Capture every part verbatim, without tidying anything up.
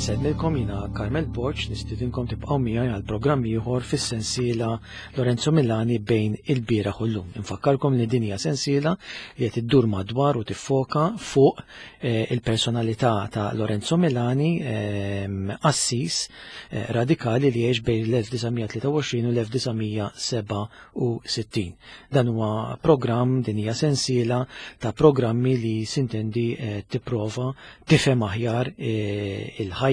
Insellmilkom jiena Carmel Borg, nistidinkom tibqgħu miegħi għal programm ieħor fis-sensiela Lorenzo Milani bejn il-bieraħ u llum. Infakkarkom li din hija sensiela li qed iddur madwar u tiffoka fuq eh, il-personalità ta' Lorenzo Milani, ehm, qassis eh, radikali li għex bejn l-elf disa' mija tlieta u għoxrin u l-elf disa' mija seba' u sittin. Dan huwa programm, din hija sensiela ta' programmi li sintendi, eh, tipprova tifhem aħjar, eh, il-ħajja,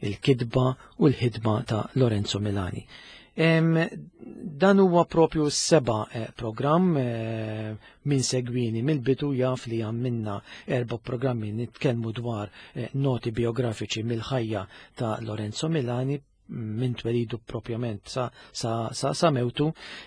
il-kidba u l-ħidma ta' Lorenzo Milani. Em, dan huwa propju s-seba', eh, programm, eh, min segwini mill-bidu jaf li għamilna erba' programmi nitkellmu dwar, eh, noti biografiċi mill-ħajja ta' Lorenzo Milani minn twelidu propjament sa, sa, sa, sa mewtu,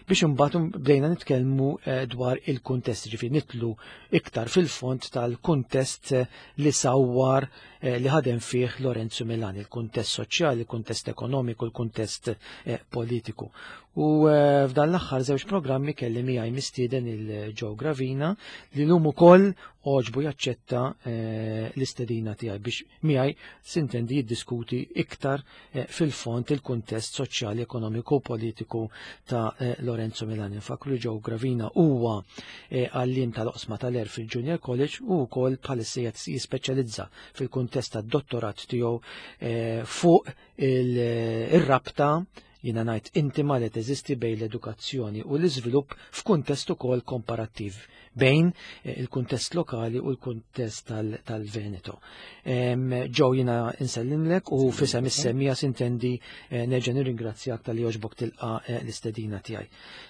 biex imbagħad bdejna nitkellmu, eh, dwar il-kuntest, ġifieri nitlu iktar fil-fond tal-kuntest, eh, li sawwar, eh, li ħadem fih Lorenzo Milani, il-kuntest soċjali, il-kuntest ekonomiku, il-kuntest, eh, politiku. U, eh, f'dan l-aħħar żewġ programmi kelli miegħi mistieden il-Joe Gravina li llum ukoll għoġbu jaċċetta, eh, l-istedina tiegħi biex miegħi sintendi jiddiskuti iktar, eh, fil-fond il-kuntest soċjali, ekonomiku u politiku ta', eh, Lorenzo Milani. Nfakru li Joe Gravina huwa, eh, għalliem tal-oqsma tal-Għerf fil-Junior College u wkoll bħalissa jispeċjalizza fil-kuntest tad-dottorat tiegħu, eh, fuq il-, ir-rabta jiena ngħid intima li teżisti bejn l-edukazzjoni u l-iżvilupp f'kuntest ukoll komparattiv bejn, eh, il-kuntest lokali u l-kuntest tal-, tal-Veneto. Em, Joe, jiena insellimlek u fisem is-semmija sintendi, eh, nerġa' nirringrazzjak tal-li għoġbok tilqa, eh, l-istedina tiegħi.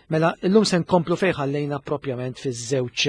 Mela, illum se nkomplu fejn ħallejna propjament fiż-żewġ,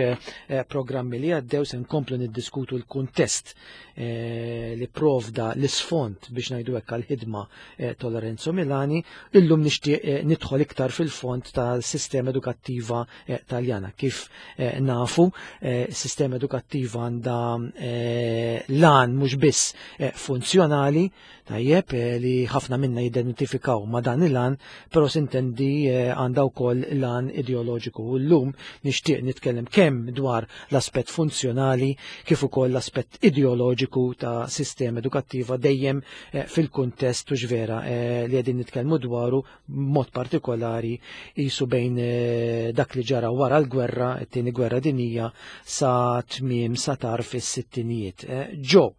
eh, programmi li għaddew, se nkomplu niddiskutu l-kuntest, eh, li provda l-isfond biex ngħidu hekk għall-ħidma, eh, ta' Lorenzo Milani. Illum nixtieq, eh, nidħol iktar fil-fond tal-sistema edukattiva, eh, Taljana. Kif, eh, nafu, eh, sistema edukattiva għandha, eh, lan mhux biss, eh, funzjonali, tajjeb, eh, li ħafna minna jidentifikaw ma' dan il-lan, però sintendi, eh, għandha wkoll lan ideoloġiku. U llum nixtieq nitkellem kemm dwar l-aspett funzjonali kif ukoll l-aspett ideoloġiku ta' sistema edukattiva dejjem, eh, fil-kuntest u ġvera, eh, li qegħdin nitkellmu dwaru b'mod partikolari jisu bejn, eh, dak li ġara wara l-gwerra, it-tieni gwerra dinjija, sa tmiem sa tarf is-sittinijiet. Eh, Joe,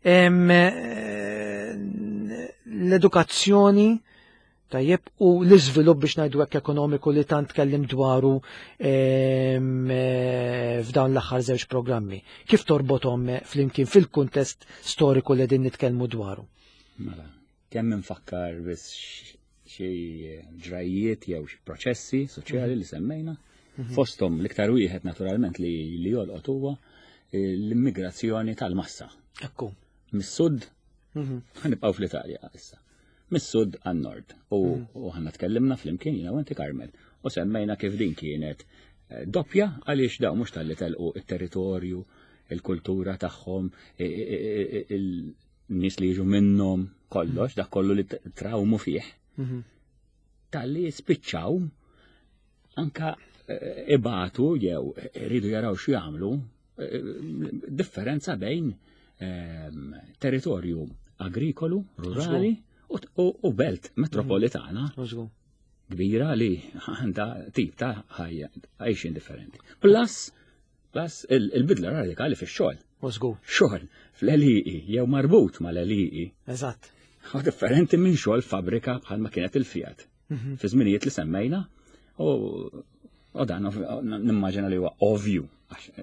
em, eh, l-edukazzjoni tajjeb u l-iżvilupp biex ngħidu hekk ekonomiku li tant tkellim dwaru, em, eh, f'dawn l-aħħar żewġ programmi. Kif torbothom flimkien fil-kuntest storiku li qegħdin nitkellmu dwaru? Mela, kemm infakkar biss xi ġrajiet jew xi proċessi soċjali li semmejna, Mhm. fosthom l-iktar wieħed naturalment li, li jolqot huwa l-immigrazzjoni tal-massa. Ekku. Mis-sud, Mhm. ħanibqgħu fl-Italja issa. Mis-sud għan-nord. U, Mhm. u ħanna tkellimna flimkien jiena u inti Carmel. U semmejna kif din kienet, eh, doppja għaliex dawn mhux talli telqu it-territorju, il-kultura tagħhom, i-, i-, i-, i-, il-nies li jiġu minnhom, kollox, dak kollu li t-, trawmu fih. Mhm. Talli spiċċaw anka, eh, ibatu jew iridu jaraw x'jagħmlu, eh, differenza bejn, ehm, territorju agrikolu, rurali Żgur. u, u, u belt metropolitana Żgur. kbira li għandha tip ta' ħajja għajxin differenti. Plus, plus il-, il-bidla radikali fix-xogħol. Żgur. Xogħol fl-għelieqi jew marbut mal-għelieqi. Eżatt. U differenti minn xogħol fabbrika bħalma kienet il-Fiat. Mhm. Fi żminijiet li semmejna u, u dan ov-, nimmaġina li huwa ovvju.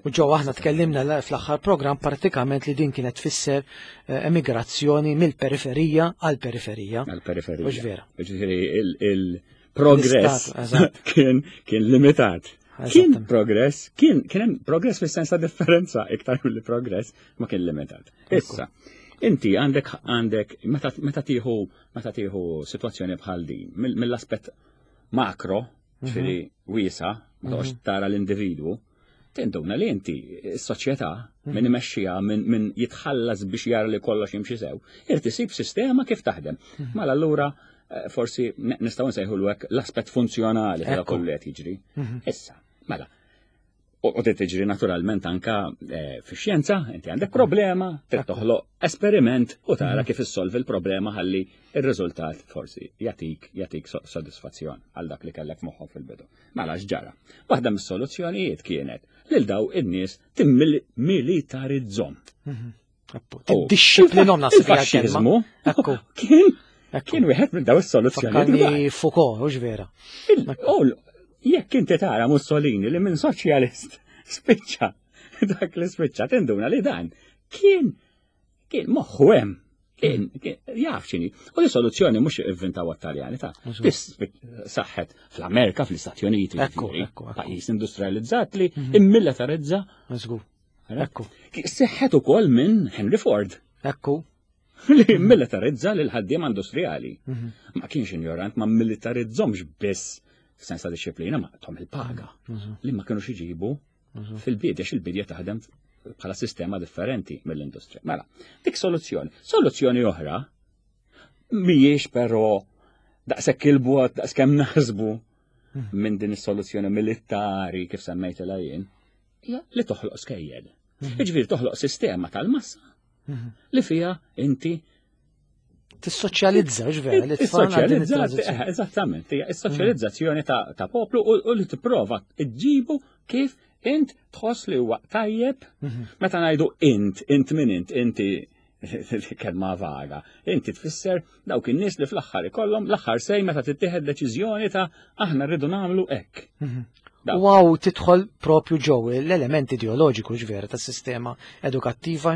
U ġew aħna tkellimna la-, fl-aħħar programm pratikament li din kienet tfisser, eh, emigrazzjoni mill-periferija għall-periferija. Għall-periferija. Mhux vera. Ġifieri il-, il-progress L-istat, eżatt. kien, kien limitat. Kien Eżattament. progress, kien, kien hemm progress fis-sens ta' differenza iktar milli progress ma kien limitat. Ekku. Issa, inti għandek, għandek meta, meta tieħu, meta tieħu sitwazzjoni bħal din mill-, mill-aspett makro, Mhm. ġifieri wiesa, ma toqgħodx Mhm. tara l-individwu, tinduna li inti s-soċjetà Mhm. min imexxiha, min, min jitħallas biex jara li kollox jimxi sew, irid isib sistema kif taħdem. Mhm. Mela allura, eh, forsi ne-, nistgħu nsejħu hekk l-aspett funzjonali ta' Ekku. kollu qed jiġri. Mhm. Issa, mela, U tiġri naturalment anka eh, fix-xjenza, inti għandek problema, trid toħloq esperiment u tara mhm. kif issolvi l-problema ħalli ir-riżultat forsi jatik jatik sodisfazzjon għal dak li kellek moħħok fil-bidu. Mela x'ġara? Waħda mis-soluzzjonijiet kienet lil daw in-nies timmilitarizzhom. Mhm. Tiddixxiplinhom nasib. Il-faxxiżmu kien kien wieħed minn daw is-soluzzjonijiet. Foucault, hux vera. Jekk inti tara Mussolini li minn soċjalist spiċċa dak li spiċċa, tinduna li dan kien kien moħħu hemm, kien jaf x'inhi. U li soluzzjoni mhux ivvintaw għat-Taljani ta' saħħet fl-Amerika, fl-Istati Uniti, pajjiż industrializzat li mhm. immilitarizza. Ekku. Seħħet ukoll minn Henry Ford. Ekku. Li militarizza lil ħaddiema industrijali. Mhm. Ma kienx ignorant, ma militarizzomx biss f'sens ta' disċiplina, ma tahom il-paga mhm. li ma kienux iġibu fil-bidja, il-bidja taħdem bħala sistema differenti mill-industrija. Mela, dik soluzzjoni. Soluzzjoni oħra mhijiex però daqshekk il-bogħod daqskemm naħsbu mhm. minn din is-soluzzjoni militari kif semmejtilha jien, hija li toħloq skejjel. Mhm. Jiġifieri toħloq sistema tal-massa mhm. li fija inti Tissoċjalizza, vera, li Tissoċjalizza, eh, eżattament, hija is-soċjalizzazzjoni ta' poplu u li tipprova ġġibu kif int tħoss li huwa tajjeb. Mhm. Meta ngħidu int, int min int, inti kelma vaga. Inti tfisser dawk in-nies li fl-aħħar ikollhom l-aħħar say meta tittieħed deċiżjoni ta' aħna rridu nagħmlu hekk. Mhm. Wow, tidħol propju ġew l-element ideoloġiku ġvera tas-sistema edukattiva.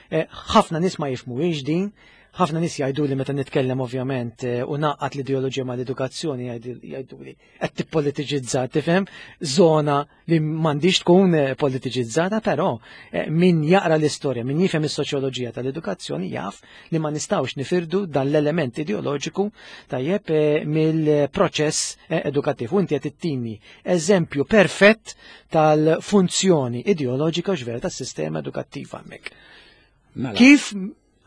Eh, ħafna nies ma jifhmuhiex din, ħafna nies jgħidu li meta nitkellem ovvjament eh, u naqgħad l-ideoloġija ma l-edukazzjoni, jgħidu li qed tippolitiċizza, tifhem, zona li m'għandix tkun eh, politiċizzata, però eh, min jaqra l-istorja, min jifhem is-soċjoloġija tal-edukazzjoni jaf li ma nistgħux nifirdu dan l-element ideoloġiku tajjeb mill-proċess edukattiv. U inti qed ittini eżempju perfett tal-funzjoni ideoloġika ġvera tas-sistema edukattiva hemmhekk. Mela. Kif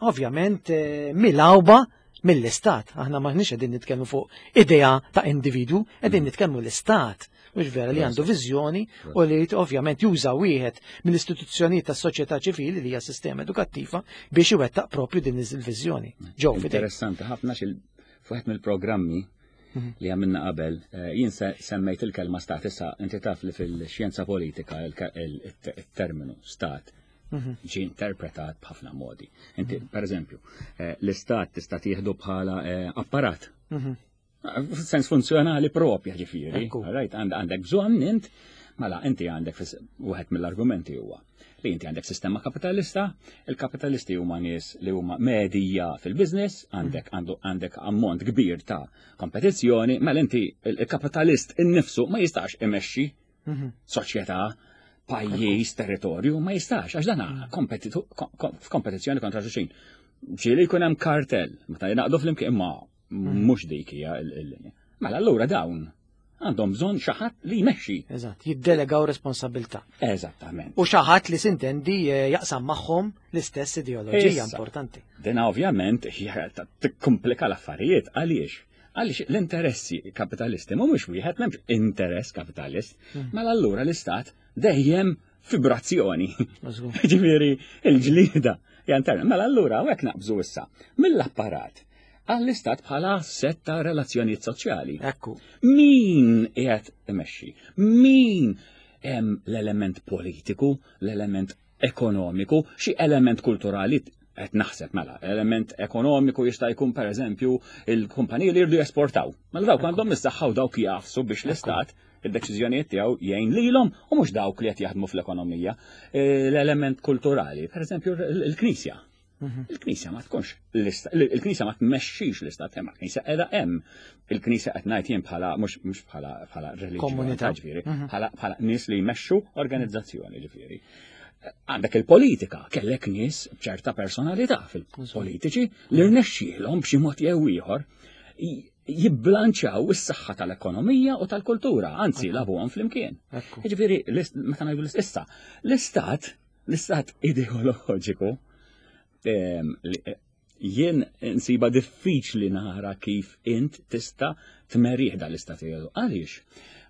ovvjament eh, milgħuba mill-istat. Aħna maħniex qegħdin nitkellmu fuq idea ta' individu, qegħdin mm. nitkellmu l-istat. Mhux vera, li għandu viżjoni u li ovvjament juża wieħed mill-istituzzjonijiet tas-soċjetà ċivili li hija sistema edukattiva biex iwettaq propju din il-viżjoni. Ġew Interessanti ħafna xil fuħet mill-programmi mhm. li għamilna qabel, eh, jien semmejt il-kelma stat. Issa inti taf li fil-xjenza politika il-terminu stat mhm. ġi interpretat b'ħafna modi. Inti, mhm. per eżempju, eh, l-istat tista' tieħdu bħala eh, apparat. Mhm. Sens funzjonali propja ġifieri. Right, għandek bżonn int, mela inti għandek, wieħed mill-argumenti huwa li inti għandek sistema kapitalista, il-kapitalisti huma nies li huma medija fil-biznis, għandek għandek ammont kbir ta' kompetizzjoni, mela inti il-kapitalist innifsu ma jistax imexxi soċjetà, pajjiż, territorju, ma jistax, għax dana f'kompetizzjoni kontra xulxin. Ġieli jkun hemm kartel, meta jnaqdu flimkien, imma mhux dik hija il-linja. Mela allura dawn għandhom bżonn xi ħadd li jmexxi. Eżatt, jiddelegaw responsabilità. Eżattament. U xi ħadd li sintendi eh, jaqsam magħhom l-istess ideoloġija importanti. Dina ovvjament tikkomplika l-affarijiet. Għaliex? Għaliex l-interessi kapitalisti mhumiex wieħed, m'hemmx interess kapitalist. Hmm. Mela allura l-istat dejjem fibrazzjoni. Ġifieri il-ġlida interna. Mela allura hawnhekk naqbżu issa mill-apparat għall-istat bħala sett ta' relazzjonijiet soċjali. Ekku. Min qiegħed imexxi? Min hemm l-element politiku, l-element ekonomiku, xi element kulturali qed naħseb? Mela, element ekonomiku jista' jkun pereżempju il-kumpaniji li jridu jesportaw. Mela dawk għandhom is-saħħa u dawk jafsu biex l-istat id-deċiżjonijiet tiegħu jgħin lilhom u mhux dawk li qed jaħdmu fl-ekonomija. L-element kulturali, pereżempju il-Knisja. Mhm. Il-Knisja ma tkunx il-Knisja ma tmexxix l-istat, imma l-Knisja qiegħda hemm. Il-Knisja qed ngħid jien bħala mhux mhux bħala bħala reliġjon, komunità ġifieri, mhm. bħala bħala nies li jmexxu organizzazzjoni ġifieri. Għandek il-politika, kellek nies b'ċerta personalità fil-politiċi li rnexxielhom b'xi mod jew ieħor jibbilanċjaw is-saħħa tal-ekonomija u tal-kultura, anzi lagħbuhom flimkien. Jiġifieri meta ngħidu issa, l-istat, l-istat ideoloġiku, jien nsiba diffiċli nara kif int tista' tmerih dal-istat ideoloġiku. Għaliex?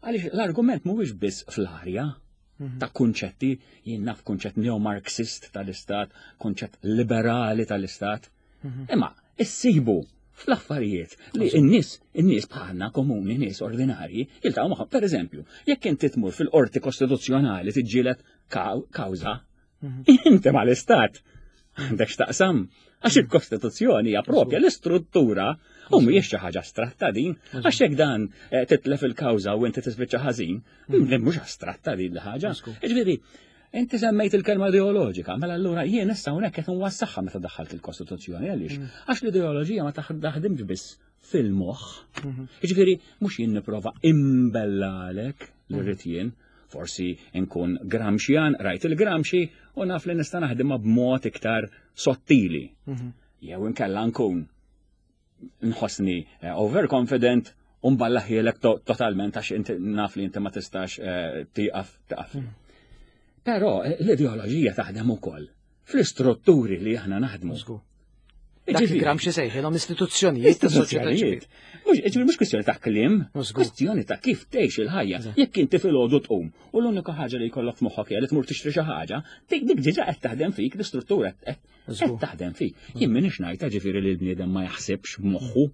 Għaliex l-argument mhuwiex biss fl-arja. ta' kunċetti, jien naf kunċett neo-Marxist tal-istat, kunċett liberali tal-istat. Imma issibu fl-affarijiet li n-nies, in-nies bħalna komuni, nies ordinarji, jiltaqgħu magħhom. Per eżempju, jekk inti tmur fil-qorti kostituzzjonali tiġġieled kawża, inti mal-istat għandek x'taqsam. Għax il-Kostituzzjoni hija propja l-istruttura u mhijiex xi ħaġa astratta din, għax jekk dan eh, titlef il-kawża u inti tispiċċa ħażin, mhux astratta din l-ħaġa. Ġifieri, inti semmejt il-kelma ideoloġika, mela allura jien issa hawnhekk qed nwassaħħa meta daħħalt il-Kostituzzjoni għaliex? Għax l-ideoloġija ma taħdimx biss fil-moħħ. Ġifieri, mhux jien nipprova imbellalek li rrid jien, forsi nkun Gramscian, rajt il-Gramsci u naf li nista' naħdimha b'mod iktar sottili. Jew inkella nkun nħossni eh, overconfident u nballahielek totalment għax inti naf li inti ma tistax eh, tieqaf tieqaf. Però eh, l-ideoloġija taħdem ukoll fl-istrutturi li aħna naħdmu. Dak li Gramsci sejħilhom istituzzjonijiet ta' soċjetà ċivili. Mhux mhux kwistjoni ta' kliem, kwistjoni ta' kif tgħix il-ħajja. Jekk inti filgħodu tqum u l-unika ħaġa li jkollok f'moħħok hija li tmur tixtri xi ħaġa, dik dik diġà qed taħdem fik l-istruttura qed taħdem fik. Jien m'iniex ngħid ġifieri li l-bniedem ma jaħsibx b'moħħu.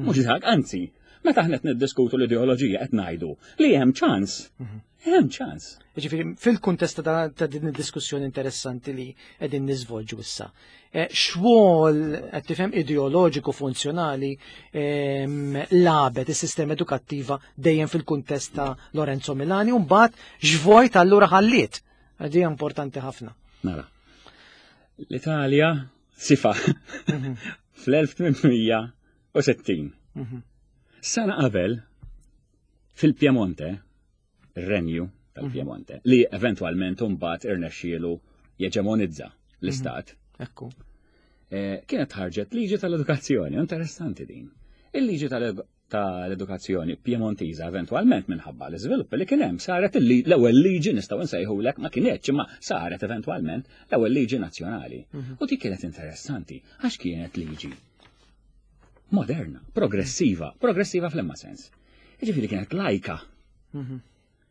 Mhux dak, anzi, meta aħna qed niddiskutu l-ideoloġija qed ngħidu li hemm ċans. Hemm ċans. Ġifieri, fil-kuntest ta' din id-diskussjoni interessanti li qegħdin niżvolġu issa, eh, x'rwol qed tifhem ideoloġiku funzjonali ehm, lagħbet is-sistema edukattiva dejjem fil-kuntest ta' Lorenzo Milani u mbagħad x'vojt allura ħalliet. Di importanti ħafna. Mela. L-Italja sifa fl-elf tmien mija u sittin. Sena qabel fil-Piemonte, ir-renju tal-Piemonte, li eventualment mbagħad irnexxielu jeġemonizza l-istat. Ekku. Eh, kienet ħarġet liġi tal-edukazzjoni, interessanti din. Il-liġi tal-edukazzjoni Piemontiża eventualment minħabba l-iżvilupp li kien hemm saret l-ewwel liġi, nistgħu nsejħulek, ma kienetx imma saret eventwalment l-ewwel liġi nazzjonali. Mhm. U dik kienet interessanti għax kienet liġi moderna, progressiva, progressiva fl-imma sens. Ġifieri kienet lajka. Mhm.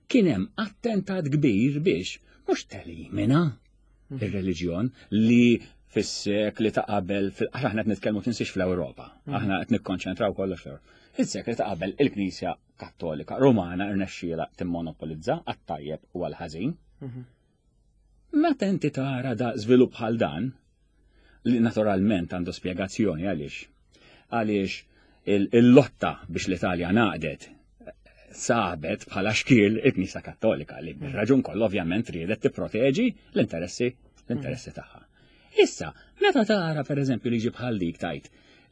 Kien hemm attentat kbir biex mhux telimina mhm. ir-reliġjon li fis-sekli ta' qabel, għax aħna qed nitkellmu, tinsiex, fl-Ewropa, mhm. aħna qed nikkonċentraw kollox fl-Ewropa. Fis-sekli ta' qabel il-Knisja Kattolika Romana rnexxiela timmonopolizza għat-tajjeb u għall-ħażin. Mhm. Meta inti tara da żvilupp bħal dan, li naturalment għandu spjegazzjoni għaliex. Għaliex il-lotta biex l-Italja ngħaqdet sabet bħala xkiel il-Knisja Kattolika li bir-raġun kollu ovvjament riedet tipproteġi l-interessi l-interessi tagħha. Issa, meta tara per eżempju liġi bħal dik tajt,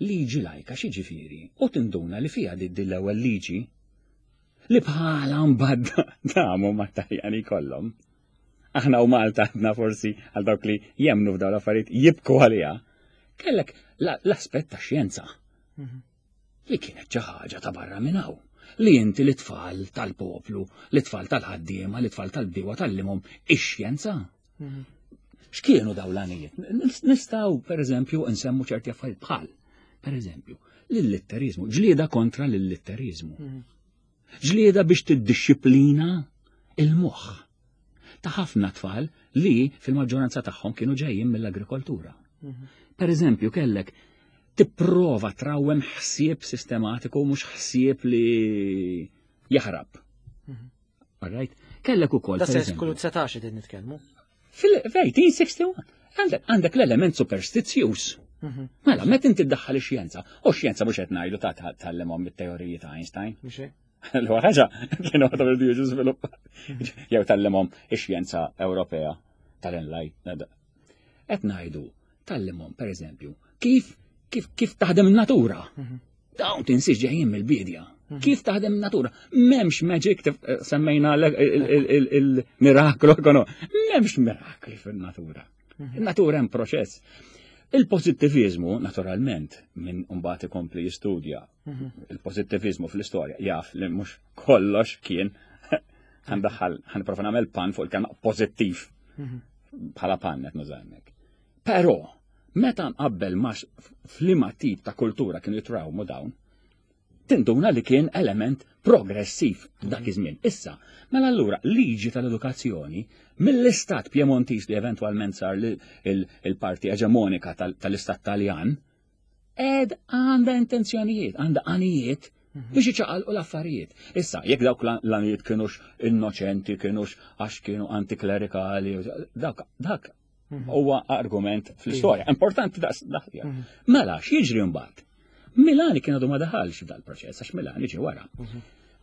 liġi lajka xi ġifieri, u tinduna li fiha di l-ewwel liġi li bħala mbagħad damu mat-Taljani kollhom. Aħna u Malta għadna forsi għal dawk li jemnu f'dawn l-affarijiet jibku għaliha. Kellek l-aspett ta' xjenza. Li kienet xi ħaġa ta' barra minn hawn. Li inti l-tfal tal-poplu, l-tfal tal-ħaddiema, l-tfal tal-bdiewa tgħallimhom ix-xjenza. X'kienu dawn l-għanijiet? Nistgħu, per eżempju, nsemmu ċerti affarijiet bħal, per eżempju, l-illitterizmu, ġlieda kontra l-illitterizmu. Ġlieda biex tiddixxiplina il-moħħ ta' ħafna tfal li fil-maġġoranza tagħhom kienu ġejjin mill-agrikoltura. Per eżempju, kellek tipprova trawwem ħsieb sistematiku, mhux ħsieb li jaħrab. All right? Kellek ukoll. Da seklu dsatax qegħdin nitkellmu. Fil-elf tmien mija u wieħed u sittin għandek għandek l-element superstizzjuż. Mela, meta inti ddaħħal ix-xjenza, u x-xjenza mhux qed ngħidu ta' tgħallimhom it-teoriji ta' Einstein. Mhux hekk? L-ewwel ħaġa kienu għadhom iridu jiġu żviluppat. Jew tgħallimhom ix-xjenza Ewropea tal-Enlight. Qed ngħidu tgħallimhom pereżempju kif kif kif taħdem in-natura. Dawn tinsiex ġejjin mill-bidja. Kif taħdem in-natura? M'hemmx magic, tif- semmejna il-miraklu, m'hemmx mirakli fin-natura. In-natura hemm proċess. Il-pozittivizmu, naturalment, min mbagħad ikompli jistudja il-pozittivizmu fl-istorja, jaf li mhux kollox kien ħa ndaħħal, ħa nipprova nagħmel pun fuq il-kelma pożittiv bħala pun qed nuża hemmhekk. Però meta nqabbel ma f'liema tip ta' kultura kienu jitrawmu dawn, Tinduna li kien element progressiv dak iż-żmien. Issa, mela allura liġi tal-edukazzjoni mill-istat Piemontiż li eventwalment sar il-parti eġemonika tal-istat Taljan, ed għandha intenzjonijiet, għandha għanijiet biex iċaqalqu l-affarijiet. Issa, jekk dawk l-għanijiet kienux innoċenti, kienux għax kienu antiklerikali, dak, dak huwa argument fl-istorja. Importanti daqs dak. Mela, x'jiġri mbagħad? Milani kien għadu ma daħalx f'dal-proċess, għax Milani ġie wara.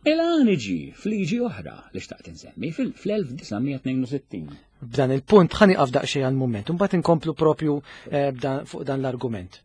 Milani ġie f'liġi oħra li xtaqt insemmi fl-elf disa' mija tnejn u sittin. B'dan il-punt ħa nieqaf daqsxejn għal-mument, imbagħad inkomplu propju, eh, b'dan, fuq dan l-argument.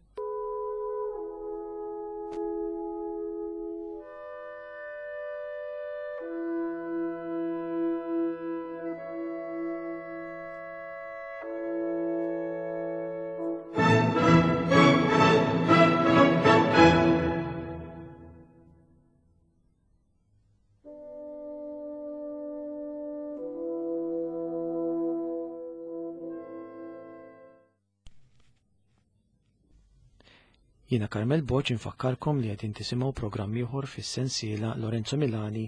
Jiena Carmel Borg infakkarkom li qed tisimgħu programm ieħor fis-sensiela Lorenzo Milani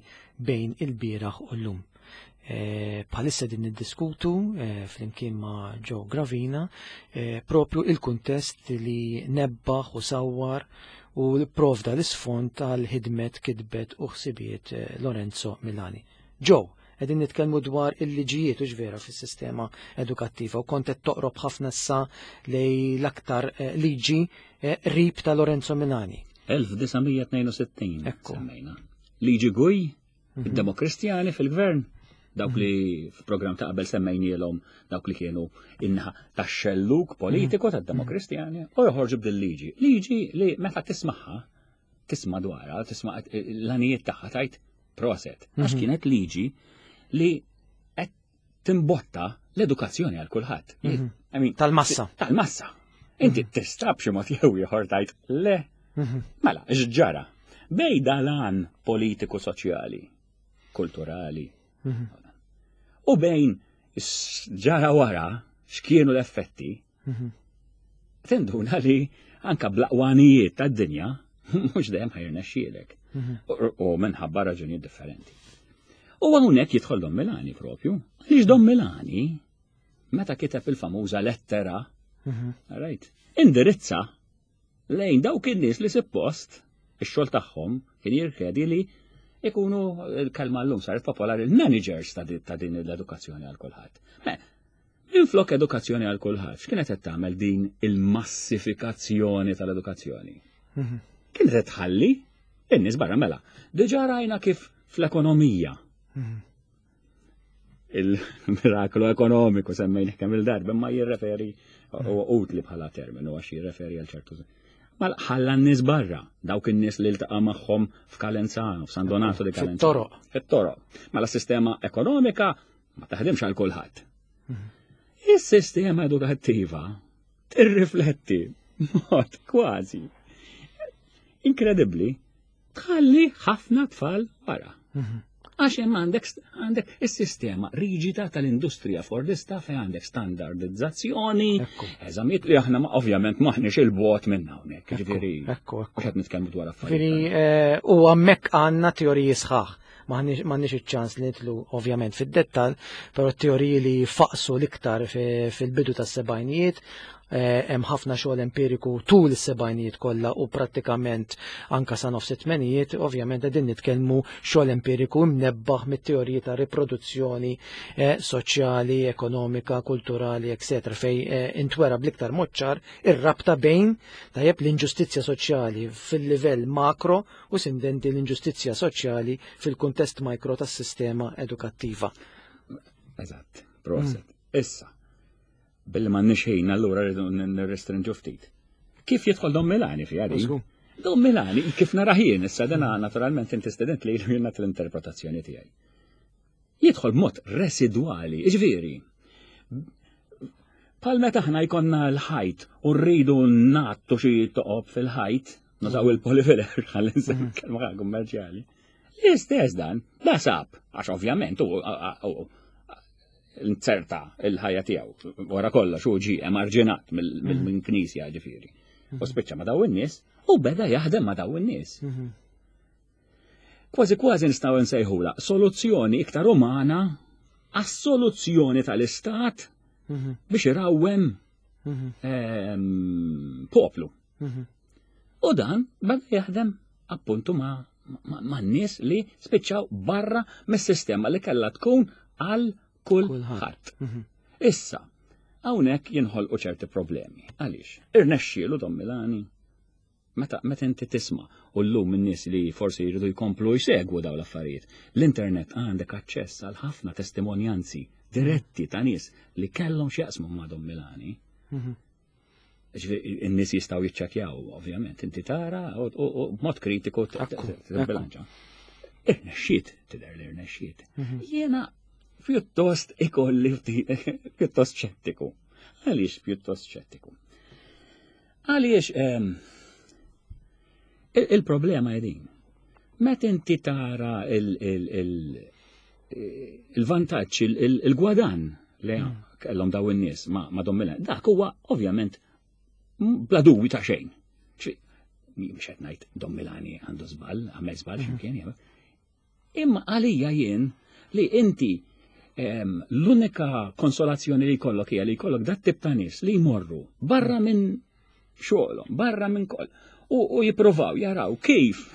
bejn il-bieraħ u llum. Eh, bħalissa din niddiskutu, eh, flimkien ma' Joe Gravina, eh, propju il-kuntest li nebbaħ u sawwar u provda l-isfond tal-ħidmet, kitbet u ħsibiet, eh, Lorenzo Milani. Joe, qegħdin nitkellmu dwar il-liġijiet u ġvera fis-sistema edukattiva u kont qed toqrob ħafna issa lej l-aktar, eh, liġi, eh, rib ta' Lorenzo Milani. elf disa' mija tnejn u sittin, Ekku. semmejna. Liġi Gui, Mhm. id-Demokristjani fil-gvern, dawk li f'programm ta' qabel semmejnielhom dawk li kienu inħa tax-xelluk politiku Mhm. tad-Demokristjani u joħorġu b'dil liġi. Liġi li meta tismagħha, tisma' dwarha, tisma' l-għanijiet tagħha tajt proset. Għax Mhm. kienet liġi li qed timbotta l-edukazzjoni għal kulħadd. Mhm. I mean, Tal-massa. Tal-massa. Inti Mhm. tista' b'xi mod jew ieħor tajt le. Mhm. Mela, x'ġara? Bej dalan politiku soċjali, kulturali. Mhm. U bejn ġara wara x'kienu l-effetti, Mhm. tinduna li anka blaqwanijiet tad-dinja mhux dejjem ħajrnexxielek. Mhm. U, u minħabba raġunijiet differenti. U hawnhekk jidħol Don Milani propju. Għaliex Don Milani meta kiteb il-famuża lettera, Mhm. right, indirizza lejn dawk in-nies li suppost ix-xogħol tagħhom kien jirkedi li ikunu l-kelma llum saret popolari il-managers ta' di-, ta' din l-edukazzjoni għal kulħadd. Me, minflok edukazzjoni għal kulħadd, x'kienet qed tagħmel din il-massifikazzjoni tal-edukazzjoni? Mhm. Kienet qed tħalli in-nies barra mela. Diġà rajna kif fl-ekonomija Mhm. il-miraklu ekonomiku semmejnih kemm il-darba, ma jirreferi u utli bħala terminu għax jirreferi għal ċertu. Ma ħalla n-nies barra, dawk in-nies li ltaqa' magħhom f'Calenzano, f'San Donato di Calenzano. Fit-toroq. Fit-toroq. Ma la sistema ekonomika ma taħdimx għal kulħadd. Mhm. Is-sistema edukattiva tirrifletti mod kważi inkredibbli tħalli ħafna tfal barra. Mhm. Għax hemm għandek st-, għandek is-sistema riġida tal-industrija fordista fejn għandek standardizzazzjoni, Ekku. eżamijiet li aħna ma-, ovvjament maħniex il-bogħod minn hawnhekk, Ekku, jiġifieri, ekku, ekku. mhux qed nitkellmu dwar affarijiet. Jiġifieri, eh, u hemmhekk għandna teoriji sħaħ. M'aħniex, m'għandniex iċ-ċans li nidħlu ovvjament fid-dettall, però teoriji li faqsu l-iktar fi-, fil-bidu tas-sebgħinijiet, eh, hemm ħafna xogħol empiriku tul is-sebgħinijiet kollha u prattikament anka sa nofs it-tmenijiet, ovvjament qegħdin nitkellmu xogħol empiriku mnebbaħ mit-teoriji ta' riproduzzjoni, eh, soċjali, ekonomika, kulturali, eccetera, fej, eh, intwera bl-iktar mod ċar ir-rabta bejn tajjeb l-inġustizzja soċjali fil-livell makro u sindenti l-inġustizzja soċjali fil-kuntest mikro tas-sistema edukattiva. Eżatt, proset. Mm. Issa, billi ma nix ħin, allura rridu n-, nirrestrinġu ftit. Kif jidħol Don Milani fiha din? Żgur. Don Milani, kif nara ħin, issa dana naturalment inti student li jien nagħti l-interpretazzjoni tiegħi. Jidħol b'mod residwali, jiġifieri. Bħal meta aħna jkollna l-ħajt u rridu nagħtu xi toqob fil-ħajt, nużaw il-polyfiller, ħalli nsemmi Mhm. kelma kummerċjali. L-istess dan, da sab, għax ovvjament u, u, u, inzerta il-ħajja tiegħu. Wara kollox hu ġie emarġinat mill-, mill-, Mhm. minn knisja ġifieri. U spiċċa ma' daw in-nies u beda jaħdem ma' daw in-nies. Mhm. Kważi kważi nistgħu nsejħula soluzzjoni iktar umana għas-soluzzjoni tal-istat Mhm. biex irawwem Mhm. ehm, poplu. Mhm. U dan beda jaħdem appuntu ma' ma' ma' nies li spiċċaw barra mis-sistema li kellha tkun għal kulħadd. Mhm. Issa, hawnhekk jinħolqu ċerti problemi. Għaliex? Irnexxielu Don Milani. Meta meta inti tisma' u llum in-nies li forsi jridu jkomplu jsegwu dawn l-affarijiet, l-internet għandek aċċess għal ħafna testimonjanzi diretti ta' nies li kellhom x'jaqsmu ma' Don Milani. Mhm. Ġifieri, in-nies jistgħu jiċċekkjaw, ovvjament, inti tara u u- u b'mod kritiku t- Ekku, t- t- Irnexxiet, tidher li irnexxiet. Mhm. Jiena pjuttost ikolli ftit- pjuttost ċettiku. Għaliex pjuttost ċettiku? Għaliex ehm, il- il-problema jedin. Meta inti tara il- il- il- il-vantaġġ, il- il- il-gwadan li kellhom daw in-nies ma' ma' Don Milani, dak huwa ovvjament bla dubju ta' xejn. Ċi, mhux qed ngħid Don Milani għandu żball, għamel żball x'imkien jew. Imma għalija jien li inti em, l-unika konsolazzjoni li jkollok hija li jkollok dat tip ta' nies li jmorru barra minn xogħolhom, barra minn koll, u, u jippruvaw jaraw kif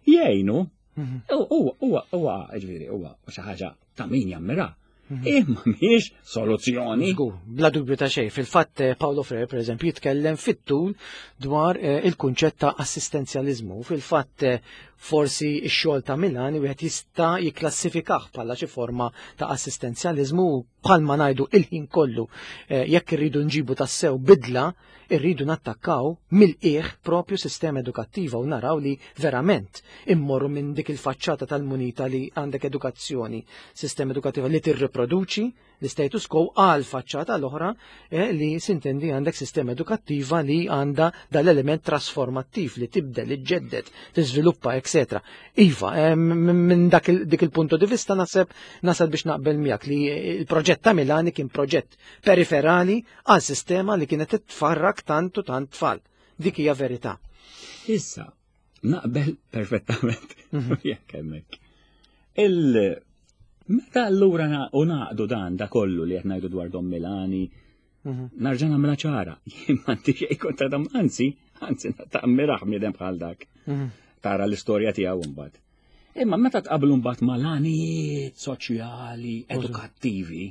jgħinu. Mhm. Huwa huwa huwa ġifieri huwa xi ħaġa ta' min jammira. Imma mhijiex soluzzjoni. Żgur, bla dubju ta' xejn. Fil-fatt eh, Paulo Freire, per eżempju, jitkellem fit-tul dwar eh, il-kunċett ta' assistenzjalizmu. Fil-fatt eh, forsi x-xogħol ta' Milani wieħed jista' jikklassifikah bħala xi forma ta' assistenzjalizmu u bħalma ngħidu il-ħin kollu eh, jekk irridu nġibu tassew bidla, irridu nattakkaw mill-qiegħ propju sistema edukattiva u naraw li verament immorru minn dik il-faċċata tal-munita li għandek edukazzjoni, sistema edukattiva li tirriproduċi l-status quo għal faċċata l-oħra eh, li sintendi għandek sistema edukattiva li għandha dal-element trasformattiv li tibdel, li ġġedded, tiżviluppa, eccetera. Iva, eh, minn dak il- dik il-punto di vista naħseb nasal biex naqbel miegħek li il-proġett ta' Milani kien proġett periferali għal sistema li kienet titfarrak tant u tant tfal. Dik hija verità. Issa, naqbel perfettament. Jekk hemmhekk. Il Meta allura na- u naqdu dan da kollu li qed ngħidu dwar Don Milani, narġa' nagħmilha ċara. Jien m'għandi xejn kontra Don, anzi, anzi tammiraħ bniedem bħal dak. Tara l-istorja tiegħu mbagħad. Imma meta tqablu mbagħad mal-għanijiet soċjali, edukattivi,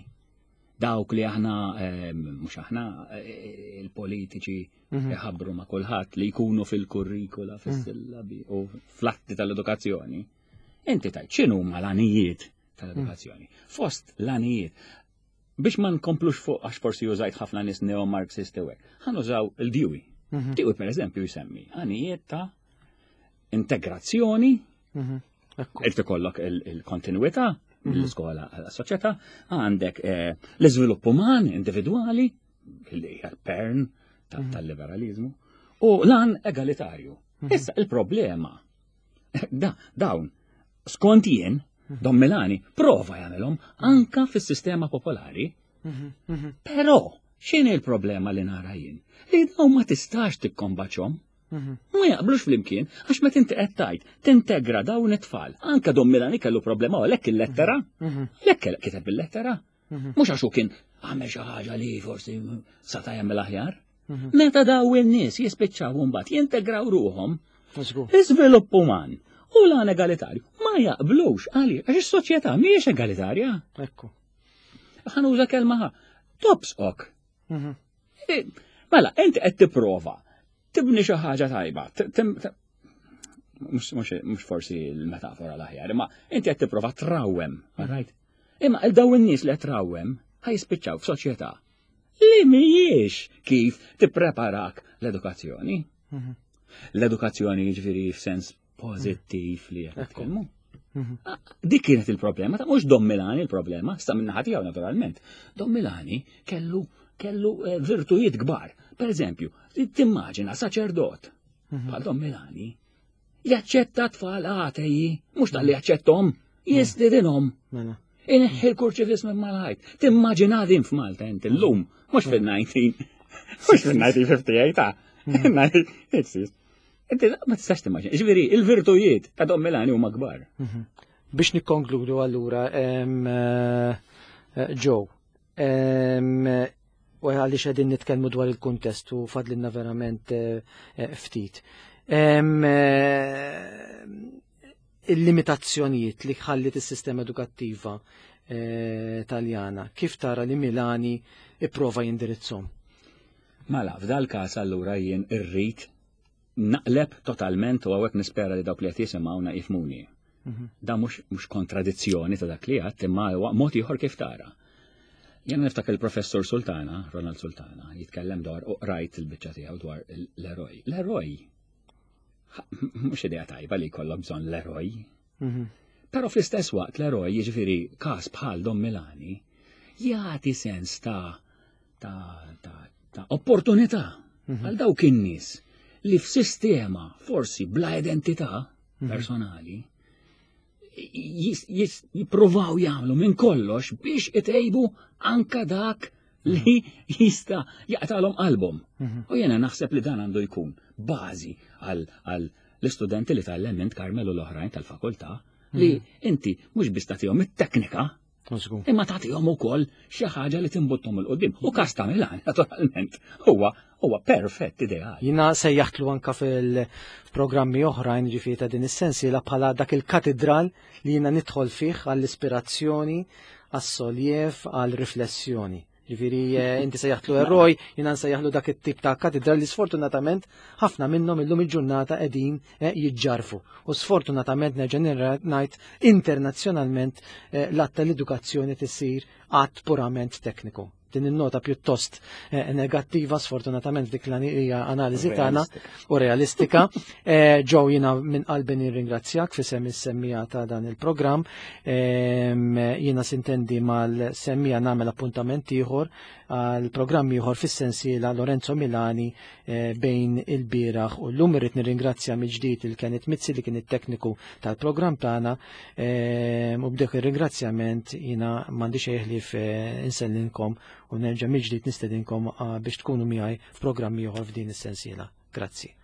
dawk li aħna eh, mhux aħna eh, il-politiċi iħabbru ma' kulħadd li jkunu fil-kurrikula, fis-sillabi u fl-atti tal-edukazzjoni. Inti tajt x'inhu huma l-għanijiet tal-edukazzjoni? Fost l-għanijiet biex ma nkomplux fuq għax forsi użajt ħafna nies neo-Marxisti u hekk, ħa nużaw il-Dewey. Dewey per eżempju jsemmi għanijiet ta' integrazzjoni. Ekku. Irid ikollok il- il-kontinuità mill-iskola għas-soċjetà, għandek eh, l-iżvilupp uman individwali, li hija l-pern ta- tal-liberalizmu, u l-għan egalitarju. Issa il-problema, da, dawn, skont jien, Don Milani prova jagħmelhom anka fis-sistema popolari, però x'inhi l-problema li nara jien? Li dawn ma tistax tikkombaċhom. Ma jaqblux flimkien, għax meta inti qed tgħid tintegra dawn it-tfal. Anka Don Milani kellu problema għalhekk il-lettera, għalhekk kiteb il-lettera. Mhux għax hu kien għamel xi ħaġa li forsi sata' jagħmel aħjar. Meta daw in-nies jispiċċaw mbagħad jintegraw ruhom, Żgur. iżvilupp uman u l-għan egalitarju ma jaqblux għaliex għax is-soċjetà mhijiex egalitarja. Ekku. Ħa nuża kelma ħa. Tobsqok. Mhm. Eh, Mela, inti qed tipprova tibni xi ħaġa tajba. t- tim- t- Mhux mhux- mhux forsi l-metafora l-aħjar, imma inti qed tipprova trawwem, right? Imma il daw in-nies li qed trawwem ħa jispiċċaw f'soċjetà li mhijiex kif tippreparak l-edukazzjoni. Mhm. L-edukazzjoni jiġifieri f'sens pożittiv li qed Ekku. nitkellmu. Mhm. Ah, dik kienet il-problema, ta' mhux Don Milani il-problema, sta minn naħa tiegħu naturalment. Don Milani kellu kellu eh, virtujiet kbar. Per eżempju, timmaġina saċerdot bħal Don Milani jaċċetta tfal ateji, mhux talli jaċċettom, jistidinhom. Mela. Ineħħi l-kurċifiss minn mal-ħajt. Timmaġina din f'Malta inti llum, mhux fil-nineteen, mhux fil-nineteen fifty-eight, ta' Inti ma tistax timmaġina. Ġifieri, il-virtujiet ta' Don Milani huma kbar. Mhm. Biex nikkonkludu allura, eh, eh, Joe, u għaliex qegħdin nitkellmu dwar il-kuntest u fadlinna verament eh, ftit. Il-limitazzjonijiet li ħallit is-sistema edukattiva Taljana, kif tara li Milani ipprova jindirizzhom? Mela, f'dal każ allura jien irrid naqleb totalment u hawnhekk nispera li dawk li qed jisimgħuna jifhmuni. Mhm. Da mhux mhux kontradizzjoni ta' dak li għedt, imma huwa mod ieħor kif tara. Jien niftakar il-professor Sultana, Ronald Sultana, jitkellem dwar u qrajt il-biċċa tiegħu dwar l-eroj. L-eroj mhux idea tajba li jkollok bżonn l-eroj. Mhm. Però fl-istess waqt l-eroj, jiġifieri każ bħal Don Milani, jagħti sens ta' ta' ta' ta' opportunità mhm. għal dawk in-nies li f'sistema forsi bla identità mhm. personali jippruvaw jagħmlu minn kollox biex itejbu anka dak li jista' jaqtalhom qalbhom. Mhm. U jena naħseb li dan għandu jkun bażi għal l-istudenti li tgħallem int Carmel u l-oħrajn tal-fakultà li inti mhux biss tagħtihom it-teknika, imma tagħtihom ukoll xi ħaġa li timbuttom 'il quddiem. U każ ta' Milan, naturalment, huwa huwa perfett ideali. Jiena sejjaħtlu anka fil-programmi oħrajn ġifieri ta' din is-sensiela bħala dak il-katedral li jiena nidħol fih għall-ispirazzjoni, għas-soljev, għall-riflessjoni. Ġifieri eh, inti sejjaħtlu eroj, jiena nsejjaħlu dak it-tip ta' katedral li sfortunatament ħafna minnhom illum il-ġurnata qegħdin eh, jiġġarfu. U sfortunatament nerġa' ngħid internazzjonalment eh, l-att tal-edukazzjoni tisir att purament tekniku. Din in-nota pjuttost negattiva sfortunatament dik hija analiżi tagħna u realistika. Joe, jiena minn qalbi nirringrazzjak f'isem is-semmiegħa ta' dan il-programm. Jiena sintendi mal-semmiegħa nagħmel appuntament ieħor għal programm ieħor fis-sensiela Lorenzo Milani bejn il-bieraħ u llum. Irrid nirringrazzja mill-ġdid il Kenneth Mizzi li kien it-tekniku tal-programm tagħna u b'dik ir-ringrazzjament jiena m'għandi xejn ħlief insellimkom u nerġa' mill-ġdid nistedinkom biex tkunu miegħi f'programmi ieħor f'din is-sensiela. Grazzi.